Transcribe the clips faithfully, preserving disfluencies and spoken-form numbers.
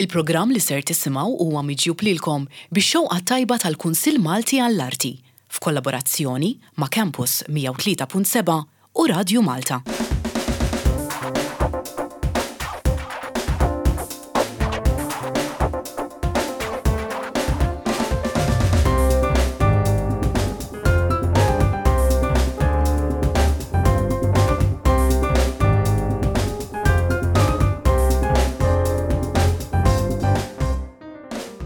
Il-programm li ser tisimgħu huwa miġjub lilkom bix-xewqa tajba tal-Kunsill Malti għall-Arti f'kollaborazzjoni ma' Campus mija u tlieta punt seba' u Radju Malta.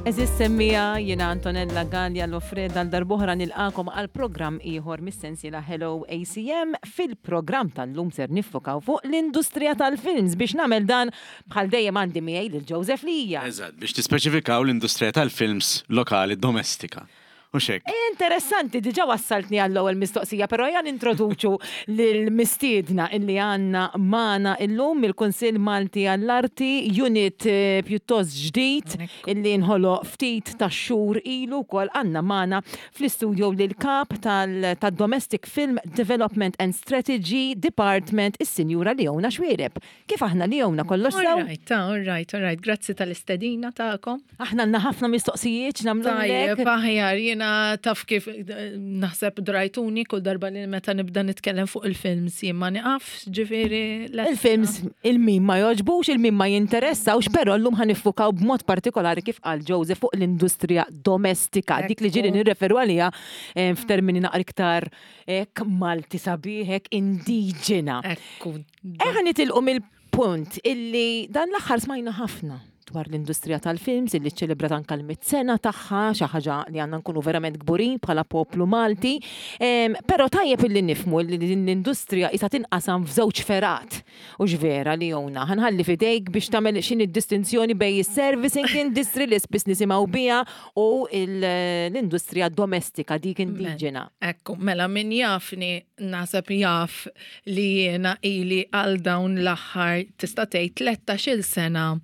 Eżis semmija jiena Antonella Gallia Lofreda għal darb'oħra nilqakom għal programm ieħor mis-sensiela Hello A C M. Fil-programm tal-lum ser niffokaw fuq l-industrija tal-films. Biex nagħmel dan, bħal dejjem għandi miegħi lil Joseph Lija. Eżatt, biex tispeċifikaw l-industrija tal-films lokali domestika. U xek. Interessanti, diġa wassaltni għall-ewwel mistoqsija, però jan introduċu lill-mistiedna illi għandna magħna illum mill-Kunsill Malti għall-Arti, unit eh, pjuttost ġdid illi nħoloq ftit ta' xhur ilu wkoll. Għandna magħna fl-istudio lil kap tal-Domestic Film Development and Strategy Department, is-Sinjura Leona Xuereb. Kif aħna, Leona, kollox sew? All right, all right, all right. Grazzi tal-istedina tagħkom. Aħna għandna ħafna mistoqsijiet nagħmlu. Tajjeb, aħjar, jiena taf kif eh, naħseb drajtuni kull darba li meta nibda nitkellem fuq il-films jien ma niqafx, ġifieri. Il-films il-min ma joġbux, il-min ma jinteressawx, però llum ħa niffukaw b'mod partikolari, kif qal Joseph, fuq l-industrija domestika, dik li ġieli nirreferu għaliha eh, f'termini naqra iktar hekk Malti sabiħ, hekk indiġena. Ekku. Eħa nitilqu mill-punt illi dan l-aħħar smajna ħafna dwar l-industrija tal-films illi ċelebrat anka l-mitt sena tagħha, xi ħaġa li għandna nkunu verament kburin bħala poplu Malti. Em, Però tajjeb illi nifhmu li din l-industrija isa tinqasam f'żewġ fergħat. U vera, Leona, ħa nħalli f'idejk biex tagħmel x'inhi d-distinzjoni bejn is-servicing industry li spiss nisimgħu biha u il- l-industrija domestika, dik indiġena. Ekku, mela min jafni naħseb jaf li jiena ili għal dawn l-aħħar, tista' tgħid, tlettax-il sena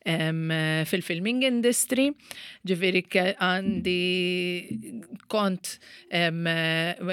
em, fil-filming industry, ġifieri ke- għandi kont em,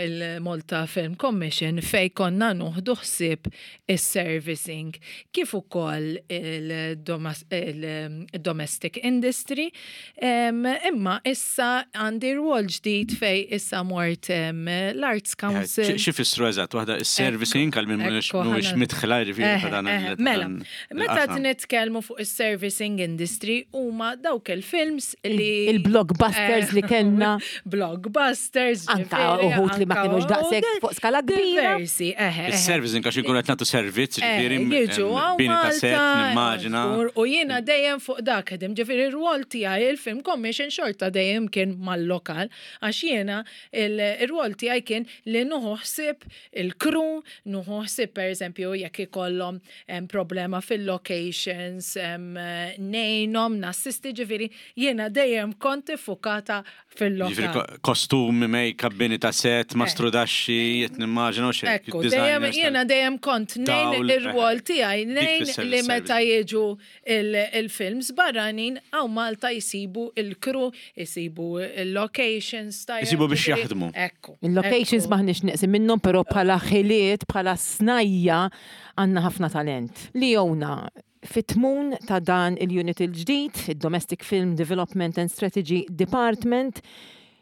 il-Malta Film Commission fej konna nieħdu ħsieb is-servicing kif ukoll il-domas- il-domestic industry, em, imma issa għandi rwol ġdid fej issa mort em, l-Arts Council. Xi fissru eżatt, waħda is-servicing għal min mhuwiex Ekku, mhuwiex ħana- midħla ġifieri ta' dan Eh, il- Mela, dan meta il-qasam. nitkellmu fuq is-servicing industry huma dawk il-films li Il-blockbusters li kellna. Blockbusters, Anka ġifieri, uħud li ma anka kienux daqshekk uħud fuq skala kbira. Diversi, eħe, eħe. Is-servicing għax ikun qed nagħtu servizz, ġifieri Eh, jiġu hawn bini ta' set, Malta, nimmaġina. żgur, u jiena dejjem fuq dak ħdim, ġifieri ir-rwol tiegħi il-Film Commission xorta dejjem kien mal-lokal, għax jiena il-rwol tiegħi kien li nieħu ħsieb il-crew, nieħu ħsieb pereżempju jekk ikollhom em, problema fil-locations, em, ngħinhom, nassisti, ġifieri jiena dejjem kont iffukata Ġifieri fil-lokal. ko- kostumi, make-up, bini ta' set, mastrudaxxi, qed nimmaġina u xejn. Ekku, dejjem jiena dejjem kont ngħin dawl, ir-rwol eh, tiegħi ngħin tfisser li meta il-service. jiġu il- il-films barranin hawn Malta jisibu il-crew, jisibu il-locations tajjeb, Jisibu biex ġifieri, jaħdmu. Ekku. Il-locations ekku. maħniex neqsin minnhom, però bħala ħiliet, bħala snajja għandna ħafna talent. Leona, fit-tmun ta' dan il-unit il-ġdid, il-Domestic Film Development and Strategy Department,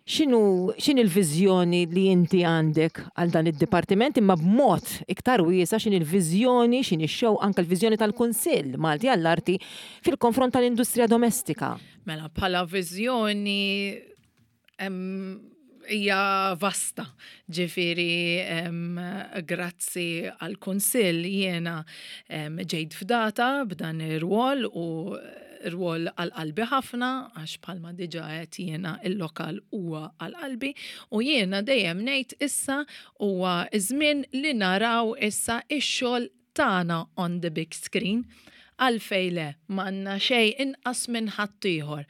x'inhu x'in il-viżjoni li inti għandek għal dan id-dipartiment, imma b'mod iktar wiesa x'in il-viżjoni, x'in ix-show, anka l-viżjoni tal-Kunsill Malti għall-Arti fil-konfront tal-industrija domestika? Mela, bħala viżjoni em, hija vasta. Ġifieri, em, grazzi għal-Kunsill jiena em, ġejt fdata b'dan ir-rwol u rwol għal qalbi ħafna, għax bħalma diġa qed jiena il-lokal huwa għal qalbi u jiena dejjem ngħid issa huwa żmien li naraw issa ix-xogħol tagħna on the big screen. Għalfej le, m'għandna xejn inqas minn ħaddieħor.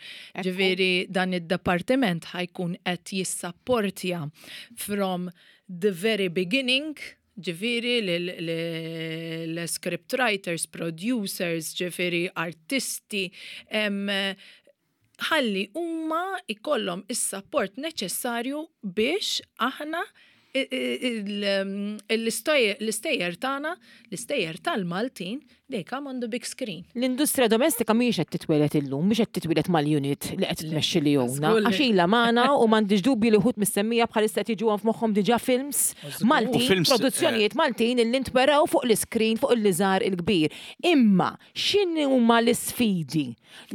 Ġifieri dan id-departiment ħa jkun qed jissapportja from the very beginning, ġifieri l-script writers, producers, ġifieri artisti, em, ħalli huma ikollhom is-support neċessarju biex aħna L-istejjer tagħna, l-istejjer tal-Maltin, they come on the big screen. L-industrija domestika mhijiex qed titwieled illum, mhix qed titwieled mal-unit li qed tmexxi li jowna. Żgur li- Għax ilha magħna u m'għandix dubju li wħud missemmija bħalissa qed jiġu f'moħħhom diġà films Maltin, U films, produzzjonijiet Maltin illi ntweraw fuq l-iskrin fuq il-liżar il-kbir. Imma x'inhu huma l-isfidi?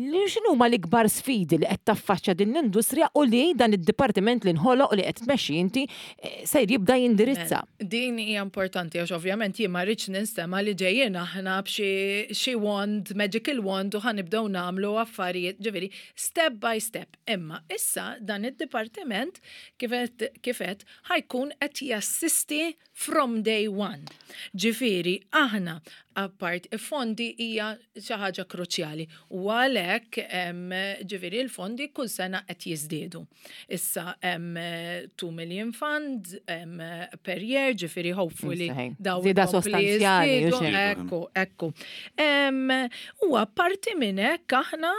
Li- X'inhu huma l-ikbar sfidi li qed taffaċċja din l-industrija u li dan id-dipartiment li nħoloq li qed tmexxi inti eh, sejr jibda jindirizza? Din hija importanti għax ovvjament jien ma rridx ninstema li ġejjin aħna b'xi xi wand, magical wand, u ħa nibdew nagħmlu affarijiet, ġifieri step by step. Imma issa dan id-dipartiment kif qed kif qed ħa jkun qed jassisti from day one. Ġifieri aħna apart fondi hija xi ħaġa kruċjali u għalhekk em, ġifieri l-fondi kull sena qed jiżdiedu. Issa hemm two million fund em, per year, ġifieri hopefully Saħi. daw Żieda ikompli sostanzjali, jiżdiedu. u xejn. Ekku, ekku. Em, U apparti minn hekk aħna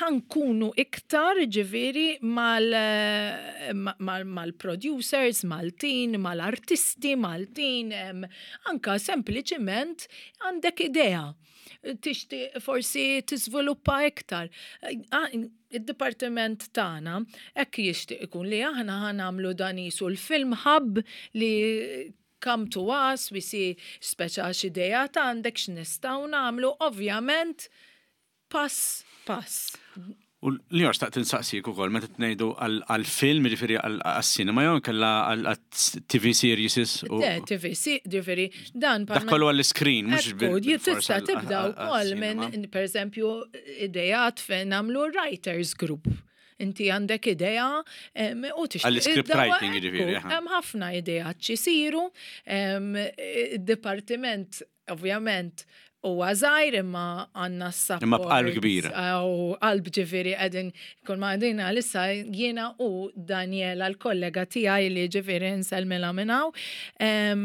ħa nkunu iktar ġifieri mal mal- mal-producers Maltin, mal-artisti Maltin, em, anka sempliċiment għandek idea. Tixtieq forsi tiżviluppa iktar. Ah, Id-dipartiment tagħna hekk jixtieq ikun li aħna ħa nagħmlu dan qisu l-film hub li come to us, we see speċa x'idea ta' għandek x'nistgħu nagħmlu, ovvjament pass pass. U li xtaqt insaqsik ukoll meta tnejdu għal-film, jiġifieri għal-cinema jew kella għal-T V series u Le, T V, si, ġifieri, dan dak kollu għall-screen, mhux Ekku, tista' tibda wkoll minn, per eżempju, idejat fejn nagħmlu writers group. Inti għandek idea em, u tixtieq. Għall-script id-dawa- writing, jiġifieri, ekku, aha. Hemm ħafna idejat x'isiru, em, id-dipartiment ovvjament huwa żgħir imma għandna s-support. Imma b'qalb kbira. U qalb, ġifieri qegħdin kull ma qegħdin għalissa jiena u Daniela l-kollega tiegħi li ġifieri nsellmilha minn hawn. Em,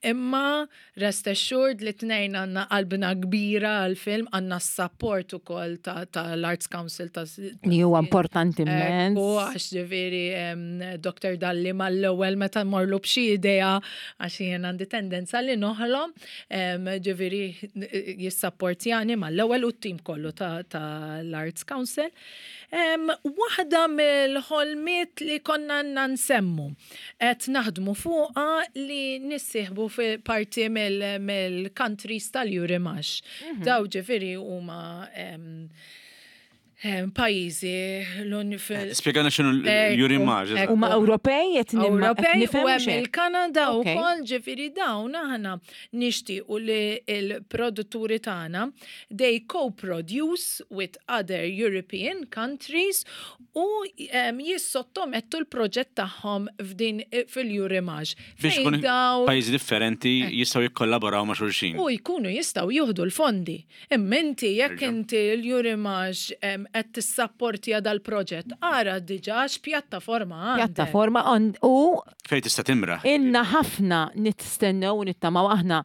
Imma rest assured li tnejn għandna qalbna kbira għal-film, għandna s-support ukoll tal-Arts Council ta' Li huwa importanti immens. Ekku, għax ġifieri em, Doktor Dalli mal-ewwel meta morlu b'xi idea, għax jien għandi tendenza li noħlom, em, ġifieri jissapportjani mal-ewwel u t-tim kollu ta' l-Arts Council. Em, Waħda mill-ħolmiet li konna għandna nsemmu, qed naħdmu fuqha li nissieħbu fi parti mill- mill-countries tal-Eurimages. Daw ġifieri huma em, em, pajjiżi l fil- Spiegana x'inhu l-Eurimages. Ekku. Huma Ewropej qed nimma- qed Ewropej nifhem u hemm xejn. il-Kanada Ok. wkoll, ġifieri dawn aħna nixtiequ li l-produtturi tagħna they co-produce with other European countries u em, jissottomettu l-proġett tagħhom f'din fil-Eurimages. Biex Fejn kun dawn pajjiżi differenti jistgħu jikkollaboraw ma' xulxin. U jkunu jistgħu jieħdu l-fondi. Imma inti jekk Erġa'. inti l-Eurimages em, qed tissapportja dal-proġett, ara diġà x'pjattaforma għandek. Pjattaforma on- u Fejn tista' timra. Inna ħafna nistennew u nittamaw aħna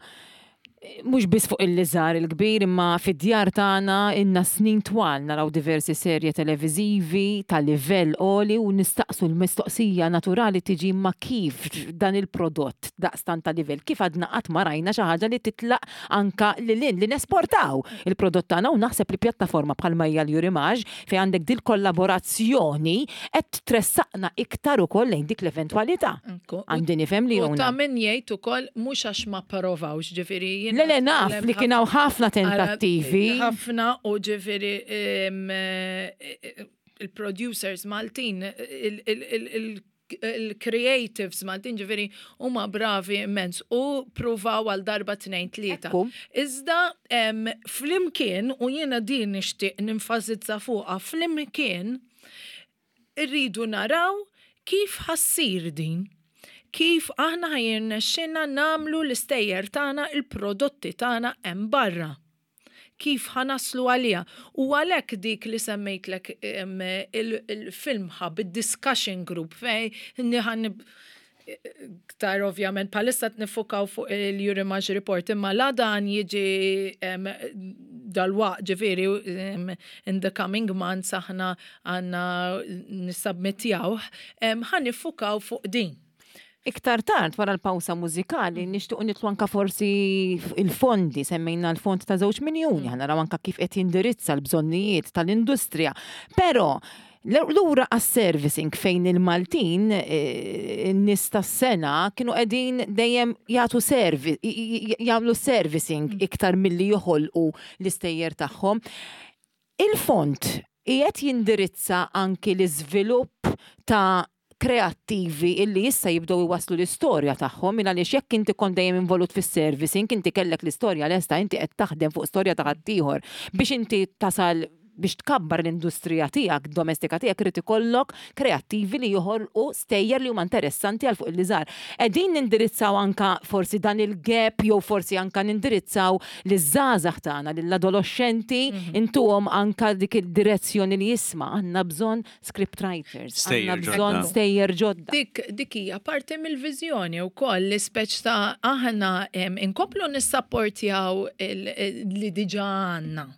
eh, mhux biss fuq il-liżar il-kbir imma fid-djar tagħna inna snin twal naraw diversi serje televiżivi ta' livell għoli u nistaqsu l-mistoqsija naturali tiġi ma kif dan il-prodott daqstan ta' livell, kif għadna qatt ma rajna xi ħaġa li titlaq anka lil hinn, li nesportaw il-prodott tagħna? U naħseb li pjattaforma bħalma hija l-Eurimages fejn għandek dil kollaborazzjoni qed tressaqna iktar ukoll lejn dik l-eventwalità. Ekku. Għandi nifhem li U ta' jona. min jgħid ukoll mhux għax ma provawx, ġifieri jiena Le, le, naf li kien hawn ħafna tentattivi. Ħafna u ġifieri em, eh, eh, il-producers Maltin, il- il- il- il- il-creatives Maltin ġifieri huma bravi immens u provaw għal darba, tnejn, tlieta. Ekku. Iżda em, flimkien, u jiena din nixtieq nenfasizza fuqha, flimkien irridu naraw kif ħa ssir din. Kif aħna ħa jirnexxina nagħmlu l-istejjer tagħna, il-prodotti tagħna hemm barra. Kif ħa naslu għalija. U għalhekk dik li semmejtlek em, il- il-film hub, il-discussion group, fej ħan ktar ovvjament bħalissa niffukaw fuq il-Eurimages report, imma la dan jiġi em, dalwaqt, ġifieri em, in the coming months aħna għandna nissubmittjawh, ħa niffukaw fuq din. Iktar tard wara l-pawsa mużikali nixtiequ nitlu anka forsi il-fondi, semmejna l-fond ta' żewġ miljuni, ħa naraw anka kif qed jindirizza l-bżonnijiet tal-industrija. Però lura għas-servicing fejn il-Maltin n-nies tas-sena kienu qegħdin dejjem jagħtu service, jagħmlu servicing iktar milli joħolqu l-istejjer tagħhom. Il-fond qiegħed jindirizza anki l-iżvilupp ta' kreattivi illi issa jibdew iwasslu l-istorja tagħhom minn għaliex jekk inti kont dejjem involut fis-servicing, inti kellek l-istorja lesta, inti qed taħdem fuq storja ta' ħaddieħor biex inti tasal biex tkabbar l-industrija tiegħek, domestika tiegħek, irid ikollok kreattivi li joħolqu stejjer li huma interessanti għal fuq il-liżar. Qegħdin nindirizzaw anka forsi dan il-gap jew forsi anka nindirizzaw liż-żgħażagħ tagħna, lill-adolescenti, intuhom anka dik id-direzzjoni li jisma' għandna bżonn script writers, għandna bżonn stejjer ġodda. Dik dik hija parti mill-viżjoni wkoll li speċ ta' aħna inkomplu nissapportjaw li diġà għandna.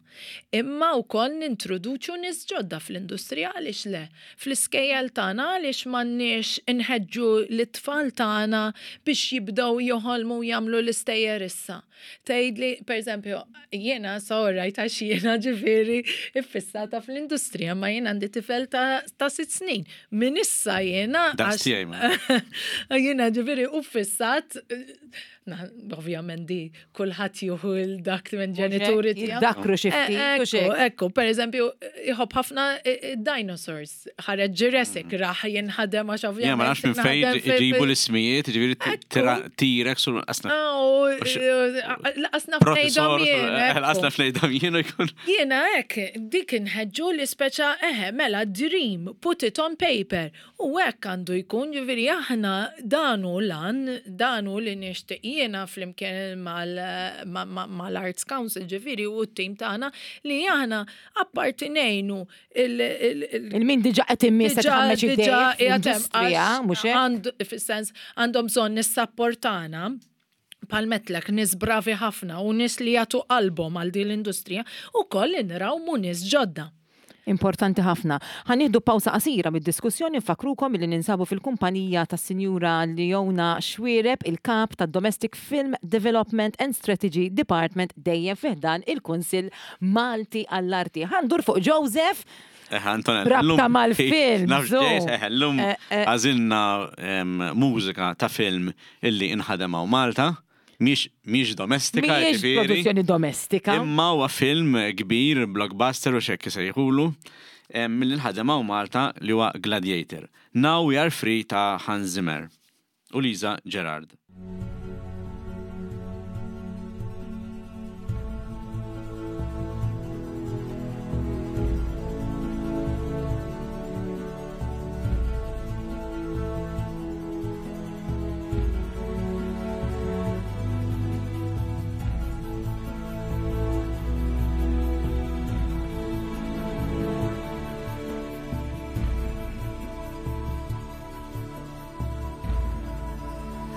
Imma wkoll nintroduċu nies ġodda fl-industrija għaliex le. Fl-iskejjel tagħna għaliex m'għandniex inħeġġu l-tfal tagħna biex jibdew joħolmu jagħmlu l-istejjer issa. Tgħidli, pereżempju, jiena sorrajt għax jiena ġifieri iffissata fl-industrija, ma jiena għandi tifel ta', ta' sitt snin. Min issa jiena jiena ġifieri uffissat ovvjament di kulħadd jieħu l-dak minn ġenituri tiegħu. Dakru xi ftit. Ekku, ekku, per eżempju, jħobb ħafna dinosaurs, ħareġ Jurassic, raħ jinħadem għax ovvjament. Ja, ma nafx minn fejn iġibu l-ismijiet, ġifieri T-Rex u qasna. Laqasna fnejdhom jien. Laqasna fnejdhom jien u jkun. Jiena hekk, dik inħeġġu li speċa eħe, mela dream, put it on paper. U hekk għandu jkun, ġifieri aħna danu lan, danu li nixtieq jiena flimkien mal-Arts Council ġifieri u t-tim tagħna li aħna apparti ngħinu il-min diġà qed immiss qed ħammeġ idejja mhux hekk? Fis-sens għandhom bżonn nissapportana palmetlek nies bravi ħafna u nies li jagħtu qalbhom għal din l-industrija u koll nrawmu nies ġodda. Importanti ħafna. Ħa nieħdu pawsa qasira mid-diskussjoni, nfakrukom li ninsabu fil-kumpanija tas-Sinjura Leona Xuereb, il-kap tad-Domestic Film Development and Strategy Department dejjem fi ħdan il-Kunsill Malti għall-Arti. Ħa ndur fuq Joseph. Rabta mal-film. Llum għażilna mużika ta' film illi inħadem hawn Malta. Mhix domestika, mhijiex produzzjoni domestika. Imma huwa film kbir, blockbuster u xekk isejħulu, mill inħadem hawn Malta li huwa Gladiator. Now We Are Free ta' Hans Zimmer u Lisa Gerrard.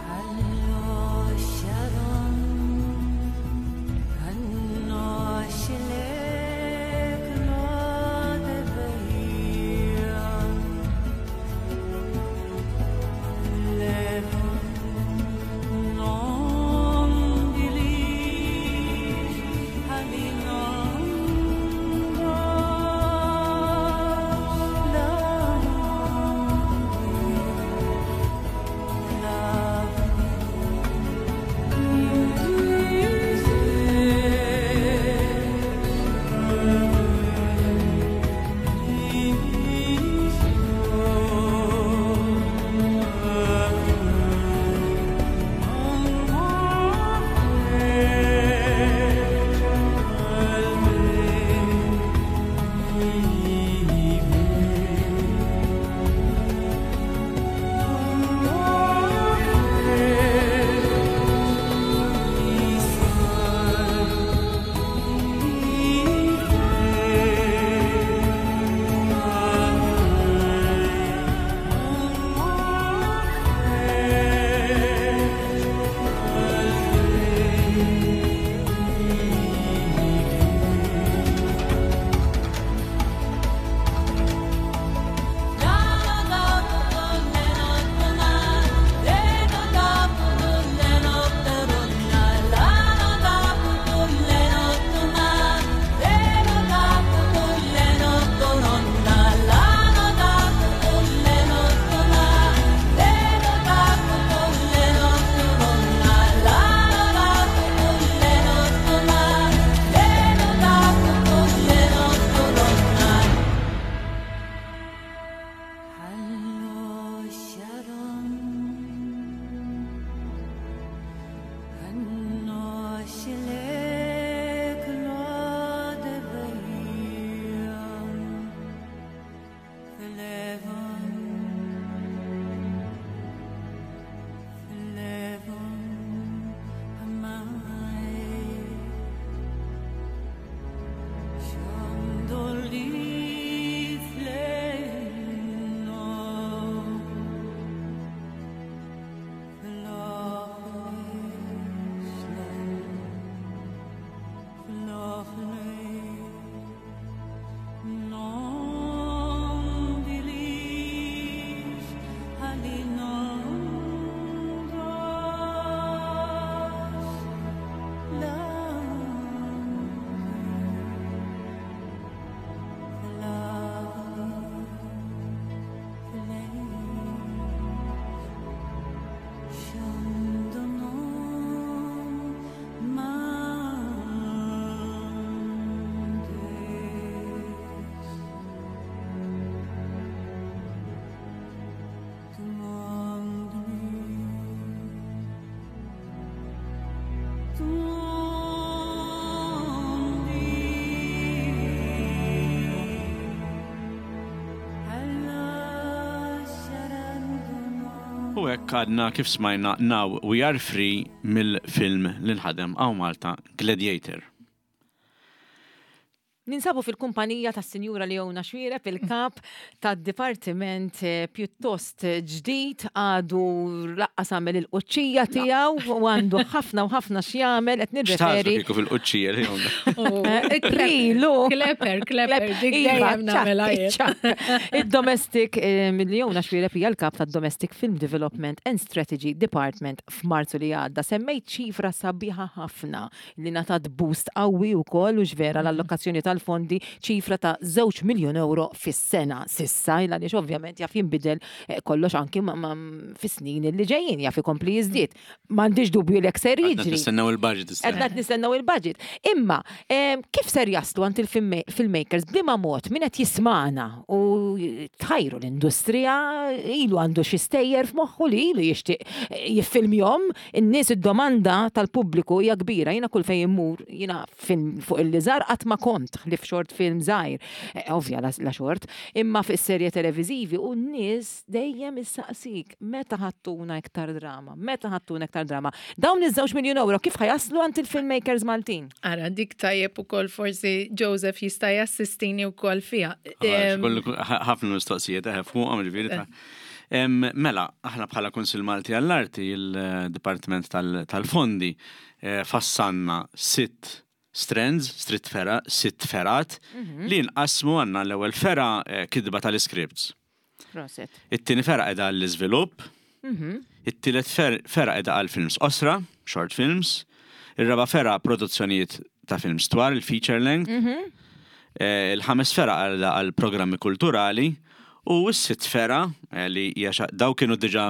Hello. U hekk għadna kif smajna Now We Are Free mill-film li nħadem hawn Malta, Gladiator. Ninsabu fil-kumpanija ta' Sinjura Leona Xuereb, il-kap ta' dipartiment eh, pjuttost ġdid, għadu lanqas għamel il-quċċija tiegħu u għandu ħafna u ħafna x'jagħmel, qed X'taħsbu nirreferi. kieku fil-quċċija, Leona? Krilu. Kleper, kleper, dik Iva, dejjem nagħmilha jien. ċak, ċak. Il-Domestic, eh, Leona Xuereb hija l-kap ta' Domestic Film Development and Strategy Department. F'Marzu li għadda semmejt ċifra sabiħa ħafna li ngħatat boost qawwi wkoll u ġvera l-allokazzjoni tal-fondi, ċifra ta' żewġ miljon euro fis-sena s'issa, illa għaliex ovvjament jaf jinbidel eh, kollox anki ma- ma- fis-snin li ġejjin, jaf ikompli jiżdied. M'għandix dubju li ser Għadna jiġri. nistennew il-budget issa. Qed nistennew il-budget. Imma, em, kif ser jaslu għand il-filmmakers, b'liema mod, min qed jismana u tħajru l-industrija, ilu għandu xi stejjer f'moħħu li ilu jixtieq jiffilmjom, in-nies, id-domanda tal-pubbliku hija kbira. Jiena kull fejn immur, jiena film fuq il-liżar qatt ma kont li f'short film żgħir. Eh, Ovvja la, la short, imma fis-serje televiżivi u n-nies dejjem issaqsik meta ħa ttuna iktar drama, meta ħa ttuna iktar drama. Dawn iż-żewġ miljun euro kif ħa jaslu għand il-filmmakers Maltin? Ara, dik tajjeb ukoll forsi Joseph jista' jassistini wkoll fiha. Għax Em, kollu- ħafna mistoqsijiet eħe fuqhom, ġifieri ta' Em, Mela, aħna bħala Kunsil Malti għall-Arti, il-Dipartiment tal- tal-Fondi, eh, fassanna sitt strands, stritt fera, sitt fergħat, li nqasmu. Għandna l-ewwel fergħa eh, kitba tal-scripts. Proset. It-tieni fergħa qiegħda għall-iżvilupp, it-tielet fer- fergħa qiegħda għal films qosra, short films, ir-raba fergħa produzzjonijiet ta' films twal, il-feature length, Eh, il-ħames fergħa għal għal programmi kulturali u s-sitt fergħa eh, li hija xa- daw kienu diġà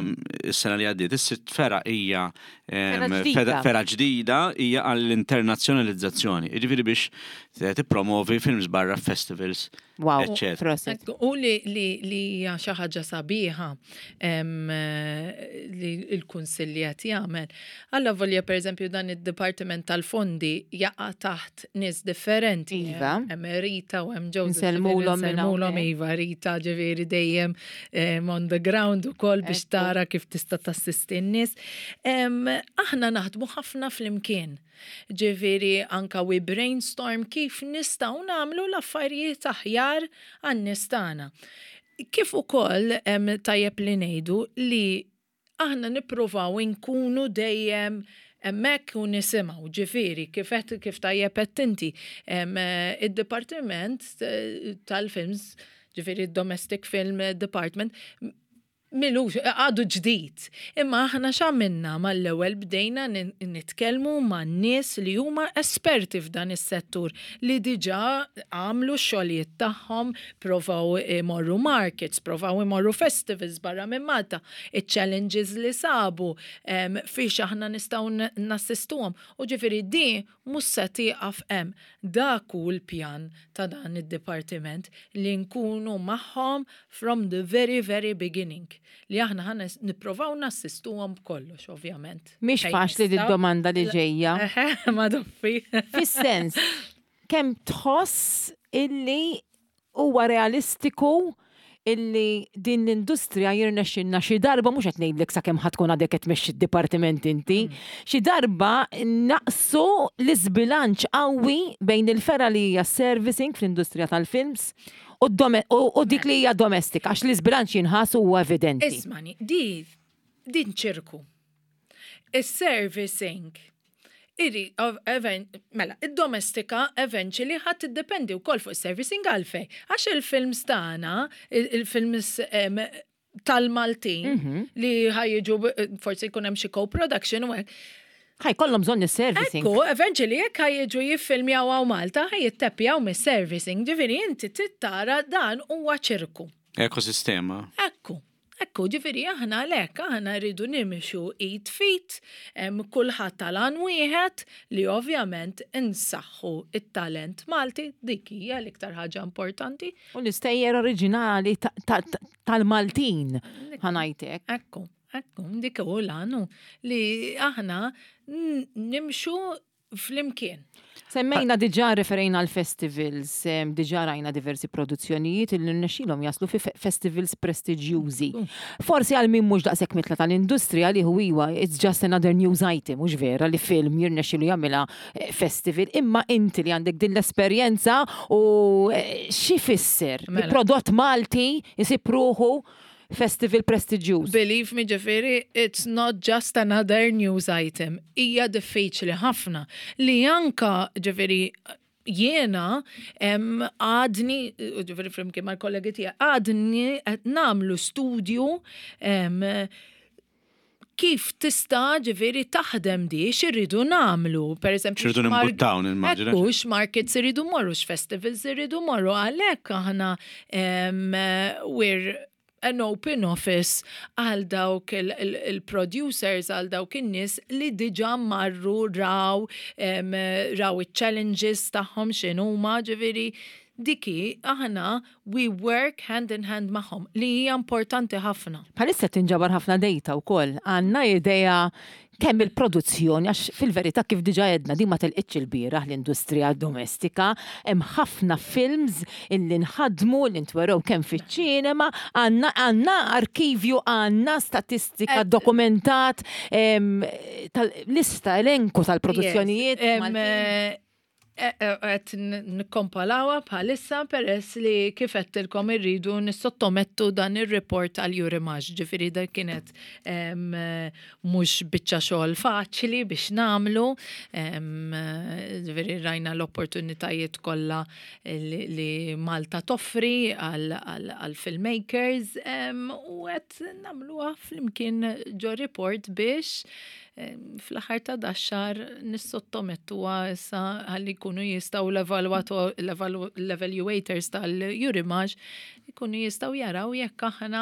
s-sena li għaddiet, is-sitt fergħa hija em, Fergħa ġdida. feda- fergħa ġdida, hija għall-internazzjonalizzazzjoni, jiġifieri biex eh, tippromovi films barra, festivals, Wow, eccetera. proset. Ekku, u li li li hija xi ħaġa sabiħa em, eh, li l-Kunsill li qed jagħmel. Alla volja, pereżempju, dan id-Dipartiment tal-Fondi jaqa' taħt nies differenti. Iva. Hemm Rita u hemm Joseph. Nsellmulhom minn Nsellmulhom, hawnhekk. iva, Rita ġifieri dejjem em, on the ground ukoll biex Ekku. tara kif tista' tassisti n-nies. Em, Aħna naħdmu ħafna flimkien. Ġifieri anka we brainstorm kif nistgħu nagħmlu l-affarijiet aħjar għan-nies tagħna. Kif ukoll em, tajjeb li ngħidu li aħna nippruvaw inkunu dejjem hemmhekk u nisimgħu, ġifieri kif qed kif tajjeb qed inti em, eh, id-dipartiment eh, tal-films, ġifieri domestic film department, m'ilux, għadu ġdid. Imma aħna x'għamilna, mal-ewwel bdejna nin- nitkellmu ma' nies li huma esperti f'dan is-settur li diġà għamlu x-xogħlijiet tagħhom, provaw imorru markets, provaw imorru festivals barra minn Malta, il-challenges li sabu, em, fiex aħna nistgħu n- nassistuhom. U ġifieri di mhux se tieqaf hemm. Dak hu l-pjan ta' dan id-dipartiment, li nkunu magħhom from the very, very beginning. Li aħna ħa nipprovaw nassistuhom b'kollox, ovvjament. Mhix Fejn faċli di nistgħu. domanda li ġejja. Eħe, ma doffi. Fis-sens, kemm tħoss illi huwa realistiku illi din l-industrija jirnexxinna xi darba, mhux qed ngħidlek sakemm ħa tkun għadek qed tmexxi d-dipartiment inti, xi darba naqsu l-iżbilanċ qawwi bejn il-fergħa li hija servicing fl-industrija tal-films u d-dome- u u dik li hija domestika, għax l-iżbilanċ jinħass huwa evidenti. Ismani, di, din ċirku. Is-servicing. Iri, of- even, mela, id-domestika eventually ħa tiddependi wkoll fuq is-servicing. Għalfej. Għax il-films tagħna, il- il-films em, tal-Maltin li ħa jiġu, forsi jkun hemm xi co-production u hekk. Ħa jkollhom bżonn is-servicing. Ekku, eventually jekk ħa jiġu jiffilmjaw hawn Malta, ħa jittepjaw mis-servicing. Ġifieri inti tittara dan huwa ċirku. Ekosistema. Ekku, ekku, ġifieri aħna lek, aħna rridu nimxu id f'id, em, kulħadd tal-għan wieħed li ovvjament insaħħu it-talent Malti, dik hija l-iktar ħaġa importanti. U l-istejjer oriġinali ta- ta- ta- tal-Maltin, ħa ngħidlek. Ekku, ekku, dik hu l-għanu li aħna n- nimxu flimkien. Semmejna diġà, referejna għal festivals, em, diġà rajna diversi produzzjonijiet li rnexxilhom jaslu fi fe- festivals prestiġjużi. Forsi għal min mhux daqshekk mitla tal-industrija li hu iwa, it's just another news item, mhux vera li film jirnexxilu jagħmilha eh, festival, imma inti li għandek din l-esperjenza u eh, xi fisser li Mela. prodott Malti jsib ruħu festival prestiġjuż? Believe me, ġifieri, it's not just another news item. Hija diffiċli ħafna li anka, ġifieri, jiena em, għadni, ġifieri flimkien mal-kollegi tiegħi, għadni qed nagħmlu studju em, kif tista' ġifieri taħdem di, x'irridu nagħmlu. Per eżempju, X'irridu x'mar- nimbuttaw, nimmaġina. Ekku, x'markets irridu morru, x'festivals irridu morru, għalhekk aħna em, we're an open office għal dawk il-producers, għal dawk in-nies li diġà marru raw, em, raw il-challenges tagħhom x'inhuma, ġifieri diki aħna we work hand in hand magħhom li hija importanti ħafna. Bħalissa tinġabar ħafna data wkoll. Għandna idea kemm il-produzzjoni, għax fil-verità, kif diġà għedna, di ma telqitx il-bieraħ l-industrija domestika, hemm ħafna films illi nħadmu, li ntwerew kemm fiċ-ċinema, għandna għandna arkivju, għandna statistika Et- dokumentat, em, tal-lista, elenku tal-produzzjonijiet Yes, em, Maltin. eh, eh, eh, Qed nikkompilawha bħalissa peress li kif għedtilkom irridu nissottomettu dan ir-report għal Eurimages, ġifieri dak kienet em, eh, mhux biċċa xogħol faċli biex nagħmlu, em, eh, ġifieri rajna l-opportunitajiet kollha li, li Malta toffri għal, għal, għal filmmakers em, u qed nagħmluha flimkien ġo report biex em, fl-aħħar ta' dax-xahar nissottomettuha issa ħalli jkunu jistgħu l-evalwato- l-evalu- l-evaluators tal-Eurimages jkunu jistgħu jaraw jekk aħna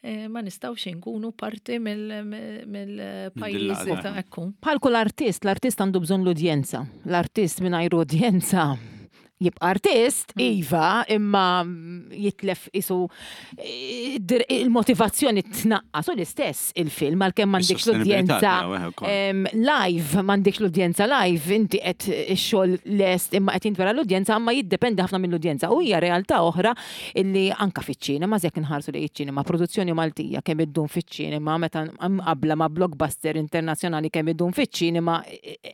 eh, ma nistgħux inkunu parti mill-pajjiżi l-għaqda. ta' ekku. Bħal kull artist, l-artist għandu bżonn l-udjenza. L-artist mingħajr udjenza jibqa' artist, iva, imma jitlef isu eh, dir- il-motivazzjoni tnaqqas u l-istess il-film għalkemm m'għandekx Is-sostenibilità l-udjenza tiegħu, eh, ukoll. em, live, m'għandekx l-udjenza live, inti qed ix-xogħol lest imma qed jintwera l-udjenza, imma jiddependi ħafna mill-udjenza. U hija realtà oħra illi anka fiċ-ċinema, jekk inħarsu li iċ-ċinema, produzzjoni Maltija kemm iddum fiċ-ċinema meta mqabbla ma' blockbuster internazzjonali kemm iddum fiċ-ċinema,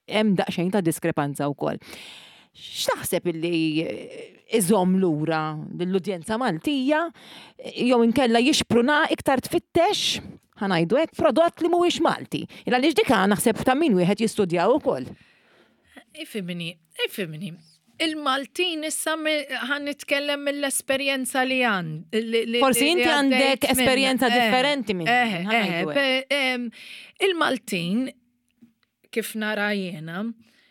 hemm daqsxejn ta' diskrepanza wkoll. X'taħseb illi iżomm lura l-udjenza Maltija jew inkella jixpruna iktar tfittex, ħa ngħidu hekk, prodott li mhuwiex Malti? Il għaliex dik naħseb ta' min wieħed jistudjaw ukoll. Ifhimni, ifhimni. Il-Maltin issa mi- ħa nitkellem mill-esperjenza li għand. Forsi inti għandek esperjenza differenti minn Eh, ħa ngħidu eh, pe- em, Il-Maltin, kif nara jiena,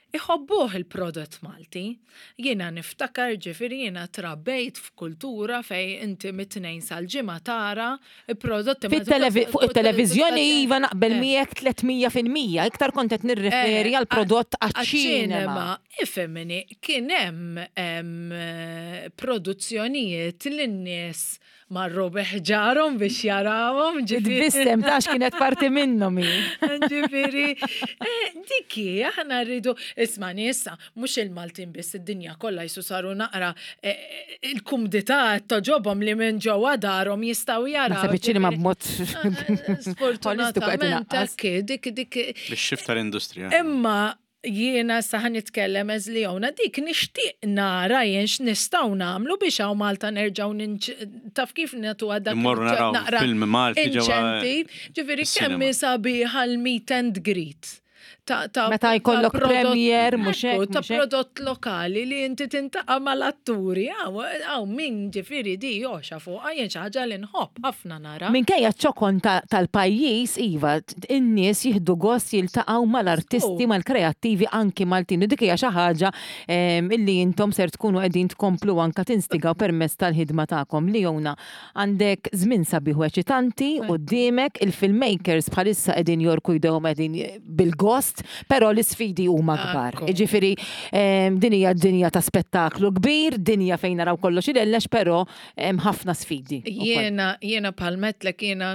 iħobbuh il-prodott Malti. Jiena niftakar, ġifieri, jiena trabbejt f'kultura fej inti mit-Tnejn sal-Ġimgħa tara il-prodotti Fit-televi- Fuq il-televizjoni, iva, naqbel Eh. miegħek tliet mija fil-mija, iktar kont qed nirreferi Eh, għal prodott għaċ-ċinema. Ifhimni, kien hemm em, eh, produzzjonijiet li n-nies marru biħġarhom biex jarawhom. Ġifieri. Tbissem tax kienet parti minnhom hi. Ġifieri, eh, diki, aħna rridu, isma' issa, mhux il-Maltin biss, id-dinja kollha jisu saru naqra eh, il-kumdità togħġobhom li minn ġewwa darhom jistgħu jaraw. Naħseb iċ-ċinema b'mod holistiku qed Sfortunatament, inaqqas. hekk, dik dik Bix-shift tal-industrija. Imma jiena sa ħa nitkellem as Leona, dik nixtieq nara jien x'nistgħu nagħmlu biex hawn Malta nerġgħu ninċ- taf kif nagħtu dak Immorru naraw naqra film Malti ġewwa incentive. Ġifieri kemm is-cinema. sabiħa l-meet and greet. Ta' ta' Meta jkollok ta' prodott- premier, mhux hekk, Ekku, ta' mhux hekk. prodott lokali li inti tintaqa' mal-atturi, għaw min ġifieri di joxa fuq, jien xi ħaġa li nħobb ħafna nara. Minkejja ċokon ta- tal-pajjiż, iva, in-nies jieħdu gost jiltaqgħu mal-artisti, Oh. mal-kreattivi anki Maltin. U dik hija xi ħaġa em, illi intom ser tkunu qegħdin tkomplu anka tinstigaw permezz tal-ħidma tagħkom. Leona, għandek żmien sabiħ u eċitanti quddiemek, il-filmmakers bħalissa qegħdin jorku jdejhom, qegħdin bil-gost, però l-isfidi huma kbar. Ekku. Ġifieri em, din hija dinja ta' spettaklu kbir, dinja fejn naraw kollox ilellex, però hemm ħafna sfidi wkoll. Jiena, jiena palmetlek, jiena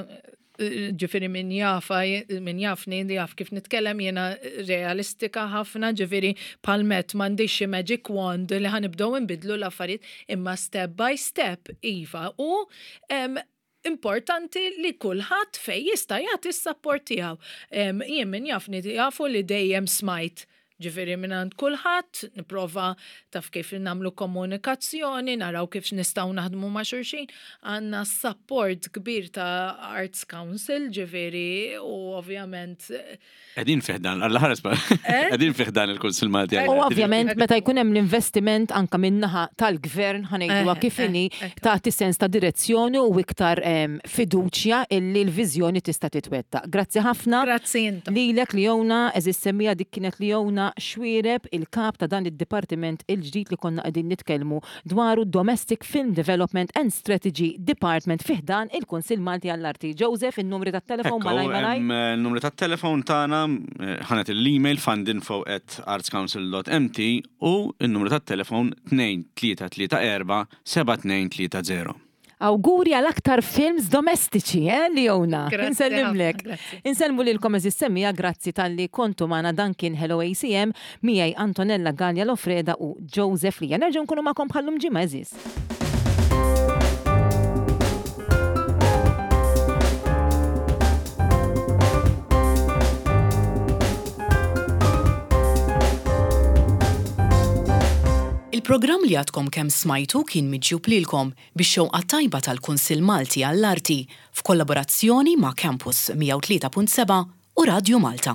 Ġifieri min jafa, min jafni, jaf kif nitkellem, jiena realistika ħafna, ġifieri palmet m'għandix xi magic wand li ħa nibdew nbidlu l-affarijiet, imma step by step, iva. U em, importanti li kulħadd fej jista' jagħti s-support tiegħu. Em, Jien min jafni jafu li dejjem smajt, ġifieri minn għand kulħadd, nipprova taf kif nagħmlu komunikazzjoni, naraw kif nistgħu naħdmu ma' xulxin. Għandna support kbir ta' Arts Council, ġifieri, u ovvjament Qegħdin fi ħdan, għalla ħares Eh? qegħdin fi ħdan il-Kunsill Malti. U ovvjament meta jkun hemm l-investiment anka min-naħa tal-gvern, ħa ngħiduha Eh, kif inhi, eh, ekku. tagħti sens ta' direzzjoni u iktar em, fiduċja illi l-viżjoni tista' titwettaq. Grazzi ħafna. Grazzi intom. Lilek Leona, għeżież semmiegħa, dik kienet Leona Xuereb, il-kap ta' dan id-dipartiment il-ġdid li konna qegħdin nitkellmu dwaru, Domestic Film Development and Strategy Department fi ħdan il-Kunsill Malti għall-Arti. Joseph, il-numri tat-telefon malaj malaj. Il-numru tat-telefon tagħna, eh, ħa nagħti l-email fundinfo at artscouncil dot M T u il-numru tat-telefon tnejn tlieta tlieta erba' seba' tnejn tlieta żero. Awguri għal aktar films domestiċi, eh, Leona? Grazzi Insellimlek. ħafna, grazzi. Insellmu lilkom, għeżież semmiegħa, grazzi talli kontu magħna. Dan kien Hello A C M, miegħi Antonella Gallia Lofreda u Joseph Lija. Nerġgħu nkunu magħkom bħal-lum ġimgħa, għeżież. Il-programm li għadkom kemm smajtu kien miġjub lilkom bix-xewqa tajba tal-Kunsill Malti għall-Arti f'kollaborazzjoni ma' Campus mija u tlieta punt seba' u Radio Malta.